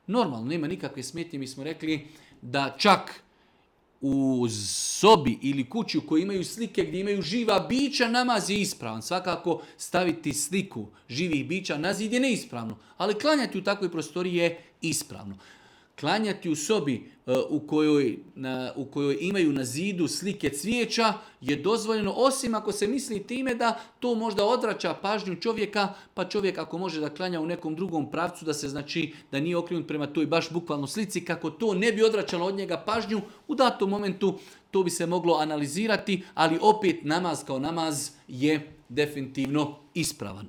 normalno, nema nikakve smetnje. Mi smo rekli da čak u sobi ili kući u kojoj imaju slike gdje imaju živa bića, namaz je ispravan. Svakako staviti sliku živih bića na zid je neispravno, ali klanjati u takvoj prostoriji je ispravno. Klanjati u sobi u kojoj imaju na zidu slike cvijeća je dozvoljeno, osim ako se misli time da to možda odvraća pažnju čovjeka, pa čovjek ako može da klanja u nekom drugom pravcu, da se znači da nije okrenut prema toj baš bukvalno slici, kako to ne bi odvraćalo od njega pažnju, u datom momentu to bi se moglo analizirati, ali opet namaz kao namaz je definitivno ispravan.